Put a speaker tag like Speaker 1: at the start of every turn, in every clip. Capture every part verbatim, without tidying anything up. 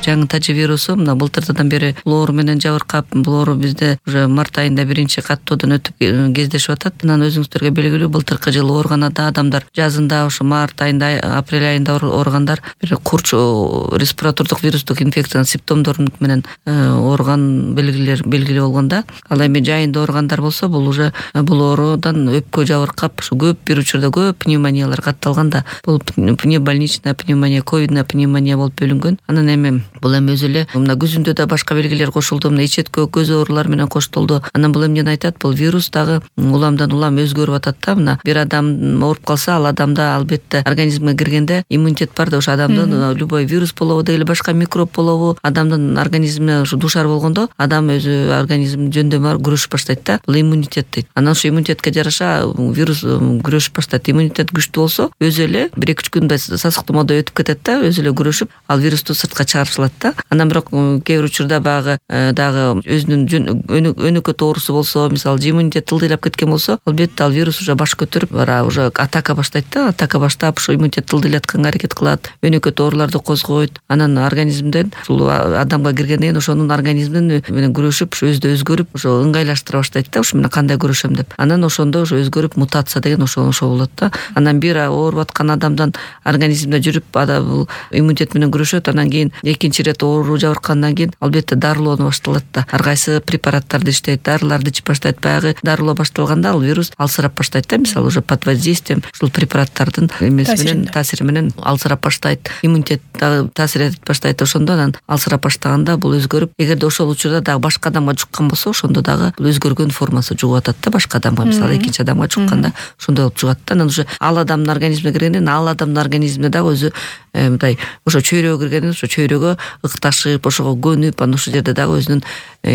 Speaker 1: жаңы тажи вирусу мына былтырдан бери бул оору менен жабыркап, бул оору бизде уже март айында биринчи каттоодон өтүп кездешип атат. Анан өзүңүздөргө белгилүү, былтыркы жылы оорганада адамдар жазында ошо март айында, апрель айында ооругандар бир курч респиратордук вирустук инфекциянын симптомдору менен ооруган белгилер белгилүү болгондо, ал эми жайында ооругандар болсо, бул уже бул оорудан өпкө жабыркап, ушу көп бир учурда көп пневмониялар катталган да. Бул пневмобольничная пневмония, ковидная пневмония болуп бөлүнгөн. Анан эми бул эми өзү эле мына күзүндө да башка белгилер кошулду, мына ичеткө, көз оорулар менен коштолду. Анан бул эмнени айтат? Бул вирус дагы уламдан улам өзгөрүп атат да. Мына бир адам ооруп калса, ал адамда албетте организмге киргенде иммунитет бар да, ошо адамдын любой вирус болобу деги эле башка микроб болобу, адамдын организмине ушу душар болгондо, адам өзү организм жөндөмү күрөшүп баштайт да. Бул иммунитет дейт. Анан ошо иммунитетке жараша вирус күрөшүп баштайт. Иммунитет күчтүү болсо, өзү эле бир эки үч күндө сасыктоодо өтүп кетет да, өзү эле күрөшүп, ал вирусту сыртка чыгарып салат да. Анан бирок кээ бир учурда багы дагы өзүнүн өнөкөт оорусу болсо, мисалы иммунитет тылдыйлап кеткен болсо, албетте ал вирус уже баш көтөрүп, бара уже атака баштайт да. Атака баштап, ошо иммунитет тылдыйлатканга аракет кылат, өнөкөт ооруларды козгойт. Анан организмден ушул адамга киргенден кийин ошонун организминин менен күрөшүп, ошо өзү өзгөрүп, ошо ыңгайлаштыра баштайт да, ушу менен кандай күрөшөм деп. Анан ошондо ошо өзгөрүп мутация деген ошо ошо болот да. Анан бир ооруп аткан адамдан организмде жүрүп, бул иммунитет менен күрөшөт. Анан кийин экинчи ирет оору жабыркандан кийин албетте дарылоо башталат да. Ар кайсы препараттарды иштейт, дарыларды ичип баштайт. Баягы дарылоо башталганда ал вирус алсырап баштайт да. Мисалы уже под воздействием ушул препараттардын эмеси менен, таасири менен алсырап баштайт. Иммунитет дагы таасир этип баштайт. Ошондо анан алсырап баштаганда бул өзгөрүп, эгерде ошол учурда дагы башка адамга жуккан болсо, ошондо дагы бул өзгөргөн формасы жугуп атат да башка адамга. Мисалы экинчи адамга жукканда ошондой болуп жугат да. Анан уже ал адамдын организмине киргенден ал адамдын организмине дагы өзү мындай ошо чөйрөгө киргенде ошо чөйрөгө ыкташып, ошого көнүп, анан ошол жерде дагы өзүнүн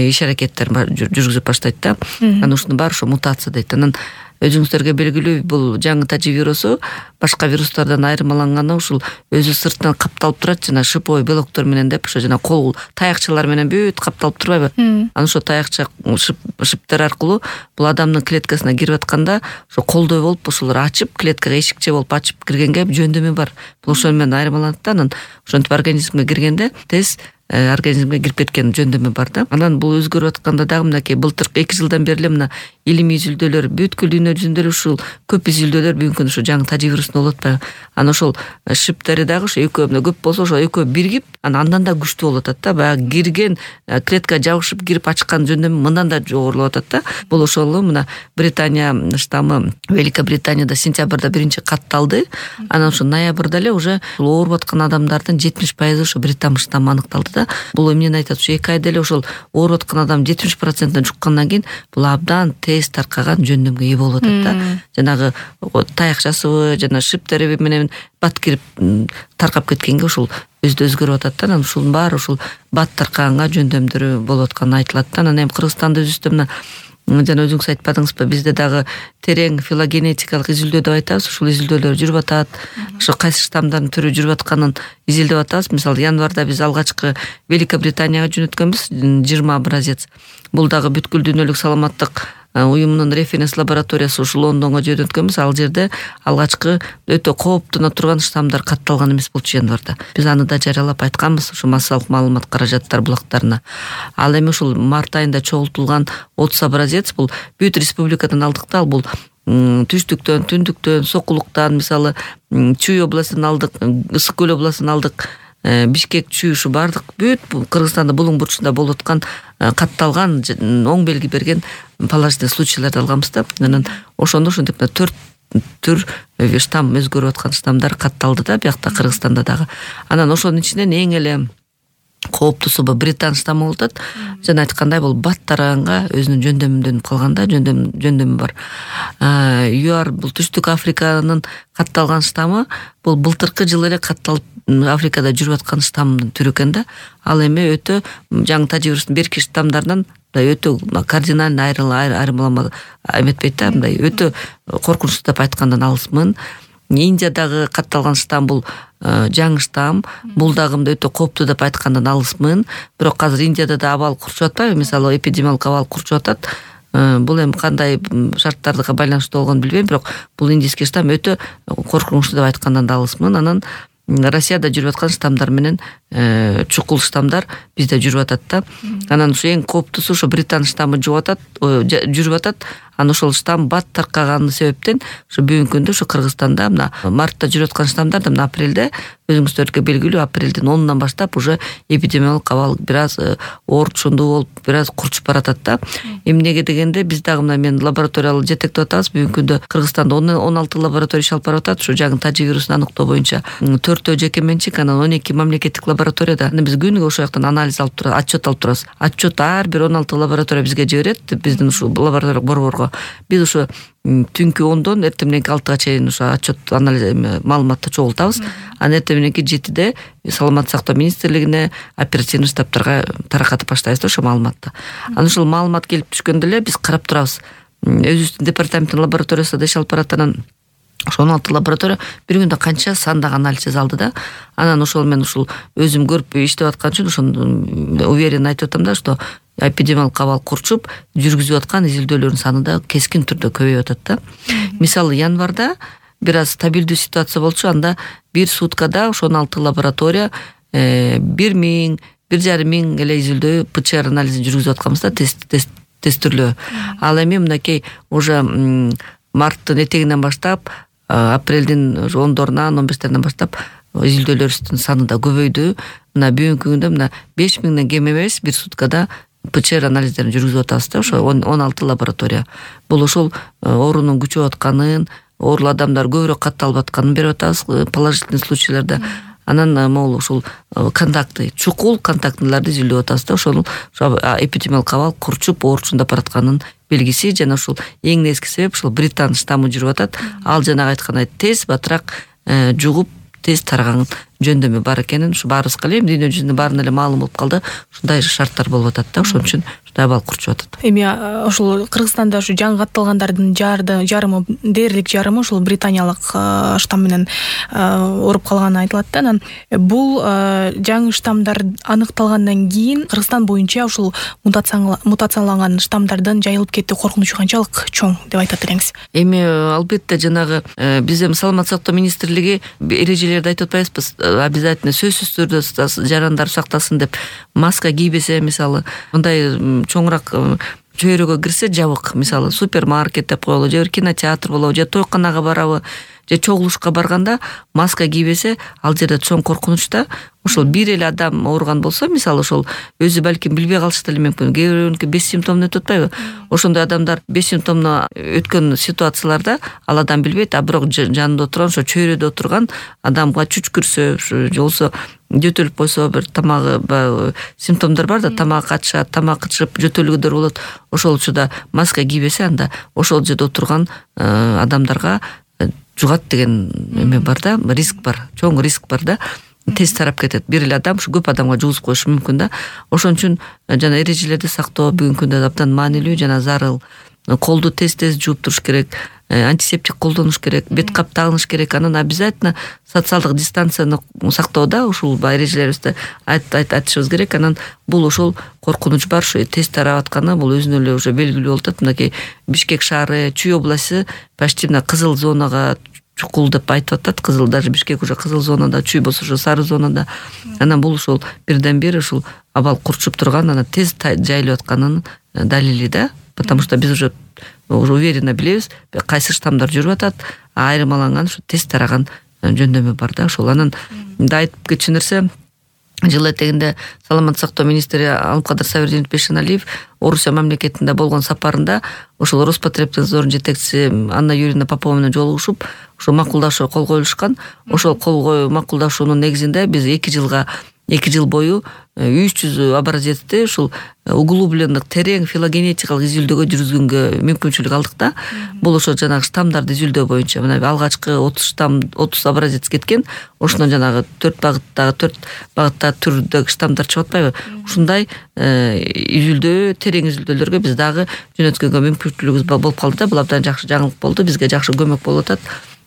Speaker 1: иш аракеттерин жүргүзүп баштайт да. Анан ушунун баары ошо мутация дейт. Анан өзүңүздөргө белгилүү, бул жаңы тажи вирусу башка вирустардан айырмаланганы ушул өзү сыртынан капталып турат, жана шиповой белоктор менен деп, ошо жана кол таякчалар менен бүт капталып турбайбы? Анан ошо таякча шиптер аркылуу бул адамдын клеткасына кирип атканда, ошо колдой болуп ошолор ачып, клеткага эшикче болуп ачып киргенге жөндөмү бар. Бул ошол менен айырмаланат да. Анан ошентип организмге киргенде тез организмге кирип кеткен жөндөмү бар да. Анан бул өзгөрүп атканда дагы мынакей былтыркы эки жылдан бери эле мына илимий изилдөөлөр, бүткүл дүйнө жүзүндө эле ушул көп изилдөөлөр бүгүнкү күндө ошо жаңы тажи вирусун болуп атпайбы? Анан ошол шиптери дагы ошо экөө мына көп болсо, ошо экөө биригип, анан андан да күчтүү болуп атат да. Баягы кирген клеткага жабышып кирип ачкан жөндөмү мындан да жогорулап атат да. Бул ошол мына Британия штаммы Великобританияда сентябрда биринчи катталды. Анан ошо ноябрда эле уже ооруп аткан адамдардын жетимиш пайызы ошо британ штаммы аныкталды да. Бул эмнени айтат? Ушу эки айда эле ошол ооруп аткан адам жетимиш процентине жуккандан кийин бул абдан тез таркаган жөндөмгө ээ болуп атат да. Жанагы таякчасыбы, жана шиптери менен бат кирип таркап кеткенге ушул өзү өзгөрүп атат да. Анан ушунун баары ушул бат таркаганга жөндөмдөрү болуп атканы айтылат да. Анан эми Кыргызстанда өзүбүздө мына жана өзүңүз айтпадыңызбы, бизде дагы терең филогенетикалык изилдөө деп айтабыз. Ушул изилдөөлөр жүрүп атат. Ошо кайсы штамдардын түрү жүрүп атканын изилдеп атабыз. Мисалы январда биз алгачкы Великобританияга жөнөткөнбүз жыйырма образец. Бул дагы бүткүл дүйнөлүк саламаттык уюмунун референс лабораториясы ушул Лондонго жөнөткөнбүз. Ал жерде алгачкы өтө кооптуна турган штаммдар катталган эмес болчу январда. Биз аны да жарыялап айтканбыз ушу массалык маалымат каражаттар булактарына. Ал эми ушул март айында чогултулган отуз образец бул бүт республикадан алдык да. Бул түштүктөн, түндүктөн, сокулуктан, мисалы Чүй областын алдык, Ысык көл областын алдык, Бишкек, Чүй, ушу бардык бүт Кыргызстанда булуң бурчунда болуп аткан катталган оң белги берген положительный случайларды алганбыз да. Анан ошондо ушинтип төрт түр штамм өзгөрүп аткан штаммдар катталды да биякта Кыргызстанда дагы. Анан ошонун ичинен эң эле кооптуусу бул британ штаммы болуп атат. Жана айткандай бул бат тараганга өзүнүн жөндөмүндөн калганда жөндөм жөндөмү бар. ЮАР бул Түштүк Африканын катталган штаммы бул былтыркы жылы эле катталып Африкада жүрүп аткан штаммдын түрү экен да. Ал эми өтө жаңы тажи вирустун берки штаммдарынан өтө кардинально айырмалама эметпейт да, мындай өтө коркунучтуу деп айткандан алысмын. Индиядагы катталган штамм бул жаңы штамм, бул дагы өтө кооптуу деп айткандан алысмын. Бирок азыр Индияда да абал курчуп атпайбы? Мисалы эпидемиологик абал курчуп атат. Бул эми кандай шарттарга байланыштуу болгонун билбейм, бирок бул индийский штамм өтө коркунучтуу деп айткандан да алысмын. Анан Россияда жүрүп аткан штаммдар менен чукул штаммдар бизде жүрүп атат да. Анан ушу эң кооптусу ушу британ штаммы жүрүп атат, жүрүп атат. Анан ошол штамм бат таркаганы себептен ушу бүгүнкү күндө ушу Кыргызстанда мына мартта жүрүп аткан штаммдар да мына апрелде өзүңүздөргө белгилүү апрелдин онунан баштап уже эпидемиологик абал бир аз оорчундуу болуп, бир аз курчуп баратат да. Эмнеге дегенде биз дагы мына мен лабораториялык жетектеп атабыз. Бүгүнкү күндө Кыргызстанда он алты лаборатория иш алып барып атат. Ушу жаңы тажи вирусун аныктоо боюнча төртөө жеке менчик, анан он эки мамлекеттик лабораторияда. Биз күнүгө ошол жактан анализ алып турабыз, отчет алып турабыз. Отчет ар бир он алты лаборатория бизге жиберет, биздин ушу лабораториялык борборго. Биз ушу түнкү ондон эртең мененки алтыга чейин ушу отчет анализ маалыматты чогултабыз. Анан эртең мененки жетиде саламаттык сактоо министрлигине, оперативный штабтарга таркатып баштайбыз да ошо маалыматты. Анан ушул маалымат келип түшкөндө эле биз карап турабыз. Өзүбүздүн департаменттин лабораториясында иш алып барат. Анан ошо он алты лаборатория бир күндө канча сандагы анализ жасалды да. Анан ошол мен ушул өзүм көрүп иштеп аткан үчүн ошону уверенно айтып атам да, что эпидемиологик абал курчуп жүргүзүп аткан изилдөөлөрдүн саны да кескин түрдө көбөйүп атат да. Мисалы январда бир аз стабилдүү ситуация болчу, анда бир суткада ошо он алты лаборатория бир миң, бир жарым миң эле изилдөө ПЦР анализин жүргүзүп атканбыз да, тест тест тестирлөө. Ал эми мынакей уже марттын этегинен баштап апрелдин ондорунан он бештеринен баштап изилдөөлөрүбүздүн саны да көбөйдү. Мына бүгүнкү күндө мына беш миңден кем эмес бир суткада ПЦР анализдерин жүргүзүп атабыз да, ошо он алты лаборатория. Бул ошол оорунун күчөп атканын, оорулуу адамдар көбүрөөк катталып атканын берип атабыз положительный случайларда. Анан могул ушул контактты, чукул контактыларды изилдеп атабыз да, ошол эпидемиологик абал курчуп оорчундап баратканын белгиси. Жана ушул эң негизги себеп ушул британ штаммы жүрүп атат. Ал жанагы айткандай тез батыраак жугуп тез тараган жөндөмү бар экенин ушу баарыбызга эле дүйнө жүзүнүн баарына эле маалым болуп калды. Ушундай шарттар болуп атат да, ошон үчүн ушундай абал курчуп атат.
Speaker 2: Эми ошол Кыргызстанда ушу жаңы катталгандардын жарымы, дээрлик жарымы ушул британиялык штамм менен ооруп калганы айтылат да. Анан бул жаңы штаммдар аныкталгандан кийин Кыргызстан боюнча ушул мутацияланган штаммдардын жайылып кетүү коркунучу канчалык чоң деп айтат элеңиз?
Speaker 1: Эми албетте жанагы биз эми саламаттык сактоо министрлиги эрежелерди айтып атпайбызбы? Обязательно сөзсүз түрдө жарандар сактасын деп маска кийбесе, мисалы мындай чоңураак чөйрөгө кирсе жабык, мисалы супермаркет деп коелу, же кинотеатр болобу, же тойканага барабы, же чогулушка барганда маска кийбесе, ал жерде чоң коркунуч да. Ошол бир эле адам ооруган болсо, мисалы ошол өзү балким билбей калышы деле мүмкүн. Кээ бирөөнүкү беш симптомду өтүп атпайбы? Ошондой адамдар беш симптомду өткөн ситуацияларда ал адам билбейт, а бирок жанында отурган, ошо чөйрөдө отурган адамга чүчкүрсө, же болбосо жөтөлүп койсо, бир тамагы симптомдор бар да, тамак качышат, тамак кычып жөтөлгөндөр болот. Ошол учурда маска кийбесе, анда ошол жерде отурган адамдарга жугат деген эме бар да, риск бар, чоң риск бар да. Тез тарап кетет. Бир эле адам ушу көп адамга жугузуп коюшу мүмкүн да. Ошон үчүн жана эрежелерди сактоо бүгүнкү күндө абдан маанилүү жана зарыл. Колду тез-тез жууп туруш керек, антисептик колдонуш керек, бет кап тагыныш керек. Анан обязательно социалдык дистанцияны сактоодо ушул эрежелерибизди айтышыбыз керек. Анан бул ошол коркунуч бар, ушу тез тарап атканы бул өзүнө эле уже белгилүү болуп атат. Мынакей Бишкек шаары, Чүй областы почти мына кызыл зонага чукул деп айтып атат. Кызыл, даже Бишкек уже кызыл зонада, Чүй болсо ушу сары зонада. Анан бул ушул бирден бир ушул абал курчуп турган, анан тез жайылып атканын далили да. Потому что биз уже уже уверенно билебиз, кайсы штаммдар жүрүп атат, айырмаланган, ушу тез тараган жөндөмү бар да. Ошол анан да айтып кетчү нерсе, жыл этегинде саламаттык сактоо министри Алымкадыр Сабирдинович Бейшеналиев Орусия мамлекетинде болгон сапарында ошол Роспотребнадзордун жетекчиси Анна Юрьевна Попова менен жолугушуп, ошо макулдашуу кол коюлушкан. Ошол кол макулдашуунун негизинде биз эки жылга эки жыл бою үч жүз образецти ушул углублендик терең филогенетикалык изилдөөгө жүргүзгөнгө мүмкүнчүлүк алдык да. Бул ошо жанагы штаммдарды изилдөө боюнча мына алгачкы отуз штамм, отуз образец кеткен. Ошондон жанагы төрт багыттагы төрт багытта түрдөгү штаммдар чыгып атпайбы? Ушундай изилдөө, терең изилдөөлөргө биз дагы жөнөткөнгө мүмкүнчүлүгүбүз болуп калды да. Бул абдан жакшы жаңылык болду, бизге жакшы көмөк болуп атат.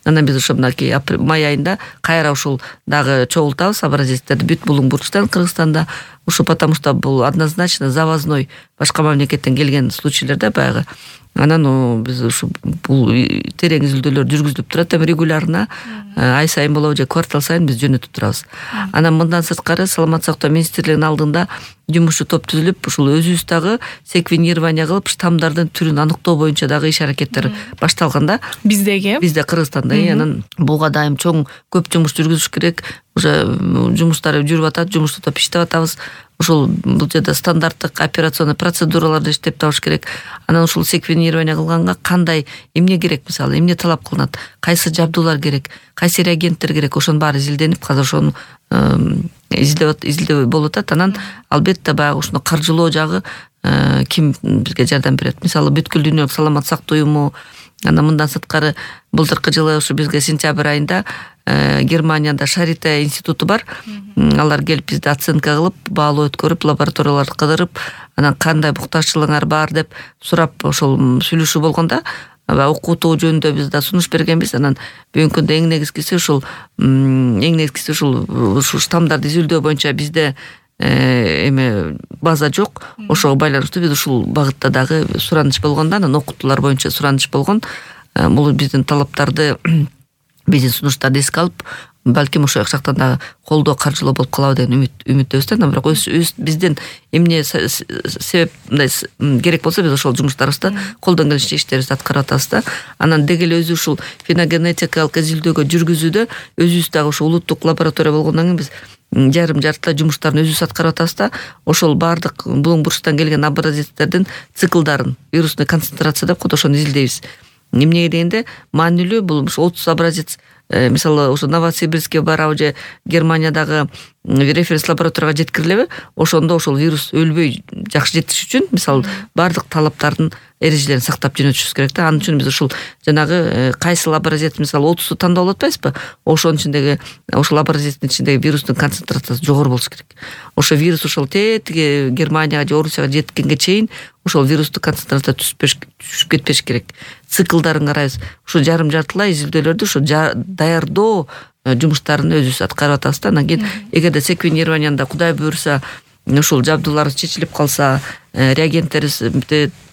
Speaker 1: Анан биз ошо мынакей май айында кайра ушул дагы чогултабыз образецтерди бүт Булуңбурчтан, Кыргызстанда. Ушу потому что бул однозначно завозной башка мамлекеттен келген случайларда баягы Анан биз ушу бул терең изилдөөлөр жүргүзүлүп турат, эми регулярно ай сайын болобу же квартал сайын биз жөнөтүп турабыз. Анан мындан сырткары саламаттык сактоо министрлигинин алдында жумушчу топ түзүлүп, ушул өзүбүз дагы секвенирование кылып, штаммдардын түрүн аныктоо боюнча дагы иш аракеттер башталган да.
Speaker 2: Биздеги
Speaker 1: Бизде Кыргызстанда анан буга дайым чоң көп жумуш жүргүзүш керек. Уже жумуштар жүрүп атат, жумушту топ иштеп атабыз. Ушул бул жерде стандарттык операционный процедураларды иштеп табыш керек. Анан ушул секвенирование кылганга кандай эмне керек, мисалы, эмне талап кылынат, кайсы жабдуулар керек, кайсы реагенттер керек, ошонун баары изилденип, азыр ошону изилдеп изилдөө болуп атат. Анан албетте баягы ушуну каржылоо жагы ким бизге жардам берет? Мисалы, бүткүл дүйнөлүк саламаттык сактоо уюму. Анан мындан сырткары былтыркы жылы ушу бизге сентябрь айында Германияда Шарите институту бар. Алар келип бизди оценка кылып, баалоо өткөрүп, лабораторияларды кыдырып, анан кандай букташчылыгыңар бар деп сурап ошол сүйлөшүү болгондо окутуу жөнүндө биз да сунуш бергенбиз. Анан бүгүнкү күндө эң негизгиси ушул эң негизгиси ушул ушул штаммдарды изилдөө боюнча бизде эме база жок. Ошого байланыштуу биз ушул багытта дагы сураныч болгондо, анан окутуулар боюнча сураныч болгон. Бул биздин талаптарды, биздин сунуштарды эске алып, балким ошол жактан дагы колдоо, каржылоо болуп калабы деген үмүт үмүттөбүз да. Анан бирок өз бизден эмне себеп мындай керек болсо биз ошол жумуштарыбызды колдон келишинче иштерибизди аткарып атабыз да. Анан деги эле өзү ушул феногенетикалык изилдөөгө жүргүзүүдө өзүбүз дагы ушул улуттук лаборатория болгондон кийин биз жарым жартылай жумуштарын өзүбүз аткарып атабыз да. Ошол баардык булуң бурчтан келген образецтердин циклдарын, вирусный концентрация деп коет, ошону изилдейбиз. Эмнеге дегенде маанилүү бул отуз образец, мисалы, ошо Новосибирскке барабы же Германиядагы референс лабораторияга жеткирилеби, ошондо ошол вирус өлбөй жакшы жетиш үчүн, мисалы, баардык талаптардын эрежелерин сактап жөнөтүшүбүз керек да. Анын үчүн биз ушул жанагы кайсы образец, мисалы, отузду тандап алып атпайбызбы? Ошонун ичиндеги, ошол образецтин ичиндеги вирустун концентрациясы жогору болуш керек. Ошо вирус ошол тетиги Германияга же Орусияга жеткенге чейин ошол вирустук концентрация түшүп кетпеш керек. Циклдарын карайбыз. Ушу жарым жартылай изилдөөлөрдү ушу даярдоо жумуштарын өзүбүз аткарып атабыз да. Анан кийин эгерде секвенированияда Кудай буйруса ушул жабдуулар чечилип калса, реагенттерибиз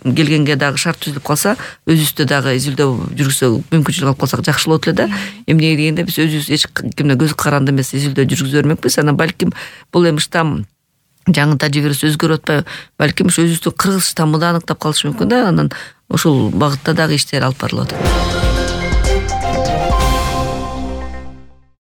Speaker 1: келгенге дагы шарт түзүлүп калса, өзүбүздө дагы изилдөө жүргүзсө мүмкүнчүлүк алып калсак жакшы болот эле да. Эмнеге дегенде биз өзүбүз эч кимден көз каранды эмес изилдөө жүргүзө бермекпиз. Анан балким бул эми штамм жаңы тажрыйбыбыз өзгөрүп атпайбы, балким ушу өзүбүздүн кыргыз штаммы да аныктап калышы мүмкүн да. Анан ушул багытта дагы иштер алып барылып атат.